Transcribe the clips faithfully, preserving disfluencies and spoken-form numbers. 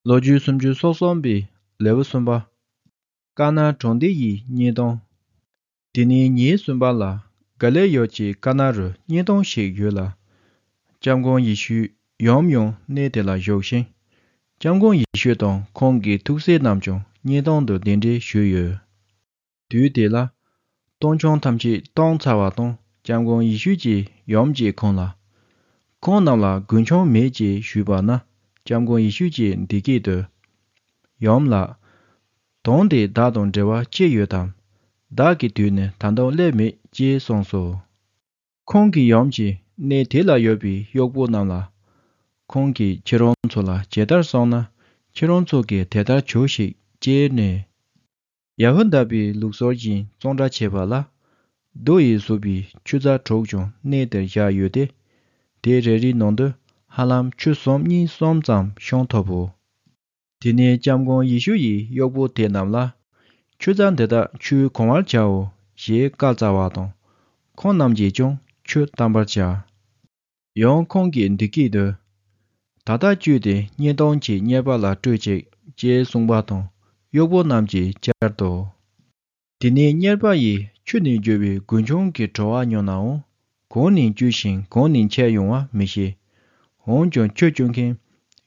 ལོ་རྒྱུས་སུམ་ཅུ་སོ་གསུམ་པའི་ལེའུ་གསུམ་པ། ཀ་ན་གྲོང་སྡེ་ཡི་བརྙན་ཐུང་། དེ་ནས་ཉིན་གསུམ་པ་ལ་ག་ལི་ལ་ཡུལ་གྱི་ཀ་ན་རུ་བརྙན་ཐུང་ཞིག་ཡོད་ལ། སྐྱབས་མགོན་ཡེ་ཤུ་ཡུམ་ཡང་གནས་དེ་ལ་བཞུགས་ཤིང་། སྐྱབས་མགོན་ཡེ་ཤུ་དང་ཁོང་གི་ཐུགས་སྲས་རྣམས་ཀྱང་བརྙན་ཐུང་དུ་གདན་འདྲེན་ཞུས་ཡོད། དུས་དེ་ལ། སྟོང་ཆུང་ཐམས་ཅད་བཏང་ཚར་བ་དང་སྐྱབས་མགོན་ཡེ་ཤུ་གྱིས་ཡུམ་གྱིས་ཁོང་ལ། ཁོང་རྣམས་ལ་རྒུན་ཆང་མེད་ཅེས་ཞུས་པ་ན་སྐྱབས་མགོན་ཡེ་ཤུ་གྱིས་འདི་སྐད་དུ། ཡུམ་ལགས། དོན་དེ་བདག་དང་འབྲེལ་བ་ཅི་ཡོད་དམ། བདག་གི་དུས་ནི་ད་དུང་སླེབས་མེད་ཅེས་གསུངས་སོ། ཁོང་གི་ཡུམ་གྱིས་གནས་དེ་ལ་ཡོད་པའི་གཡོག་པོ་རྣམས་ལ། ཁོང་གིས་ཁྱེད་རང་ཚོ་ལ་ཇི་ལྟར་གསུངས་ན་ཁྱེད་རང་ཚོ་གིས་དེ་ལྟར་བྱོས་ཤིག་ཅེས་ནས། ཡ་ཧུ་དཱ་པའི་ལུགས་སྲོལ་བཞིན་བཙོང་འདྲ་བྱས་པ་ལ། རྡོ་ཡིས་བཟོས་པའི་ཆུ་རྫ་དྲུག་ཀྱང་གནས་དེར་བཞག་ཡོད་དེ། དེ་རེ་རེའི་ནང་དུ་ཧ་ལམ་ཆུ་སུམ་གཉིས་གསུམ་ཙམ་ཤོང་ཐུབ་བོ། དེ་ནས་སྐྱབས་མགོན་ཡེ་ཤུ་ཡིས་གཡོག་པོ་དེ་རྣམས་ལ། ཆུ་རྫ་འདི་དག་ཆུས་གང་བར་བྱའོ་ཞེས་བཀའ་སྩལ་བ་དང་། ཁོང་རྣམས་ཀྱིས་ཀྱང་ཆུ་བཏང་པར་བྱ། ཡང་ཁོང་གིས་འདི་སྐད་དུ། ད་ལྟ་བཅུད་དེ་བརྙན་ཐུང་གི་གཉེར་པ་ལ་སྤྲོད་ཅིག་ཅེས་གསུངས་པ་དང་གཡོག་པོ་རྣམས་ཀྱིས་བཅར་ཏོ། དེ་ནས་གཉེར་པ་ཡིས་ཆུ་ནས་བརྗོ་བའི་རྒུན་ཆང་གི་བྲོ་བ་མྱོང་ནའང་གང་ནས་བརྒྱུད་ཞིང་གང་ནས་མཆེད་ཡོང་བ་མི་ཤེས། འོན་ཀྱང་ཆུ་བརྒྱུད་མཁན་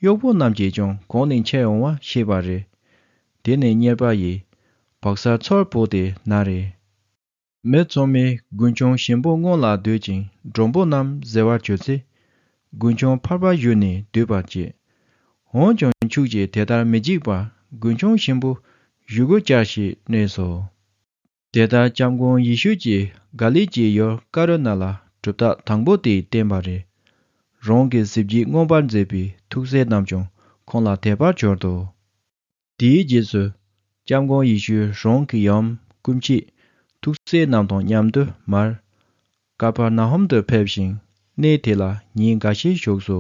གཡོག་པོ་རྣམས་ཀྱིས་ཀྱང་གང་ནས་མཆེད་ཡོང་བ་ཤེས་པ་རེད། དེ་ནས་གཉེར་པ་ཡིས་བག་ཚ་ཚོར་པོ་དེ་ན་རེ། མི་ཚང་མས་རྒུན་ཆང་ཞིམ་པོ་སྔོན་ལ་འདོད་ཅིང་མགྲོན་པོ་རྣམས་ཟེར་བར་གྱུར་ཚེ། རྒུན་ཆང་ཕར་པ་བཞུས་ནས་སྡོད་པར་བྱེད། འོན་ཀྱང་ཁྱོད་ཀྱིས་དེ་ལྟར་མི་བྱེད་པར་རྒུན་ཆང་ཞིམ་པོ་བཞུ་དགོས་ཀྱང་ཞེས་སྨྲས་སོ། དེ་ལྟར་སྐྱབས་མགོན་ཡེ་ཤུ་གྱིས་ག་ལིལ་གྱི་ཡུལ་ཀ་ན་རུ་ལ་གྲུབ་རྟགས་དང་པོ་དེ་བསྟན་པ་རེད། རང་གི་གཟི་བརྗིད་མངོན་པར་མཛད་པའི་ཐུགས་སྲས་རྣམས་ཀྱང་ཁོང་ལ་དད་པར་གྱུར་ཏོ། དེའི་རྗེས་སུ། སྐྱབས་མགོན་ཡེ་ཤུ་རང་གི་ཡུམ་སྐུ་མཆེད་ཐུགས་སྲས་རྣམས་དང་མཉམ་དུ་མར། ཀ་པར་ན་ཧུམ་དུ་ཕེབས་ཤིང་། གནས་དེ་ལ་ཉིན་འགའ་ཤས་བཞུགས་སོ།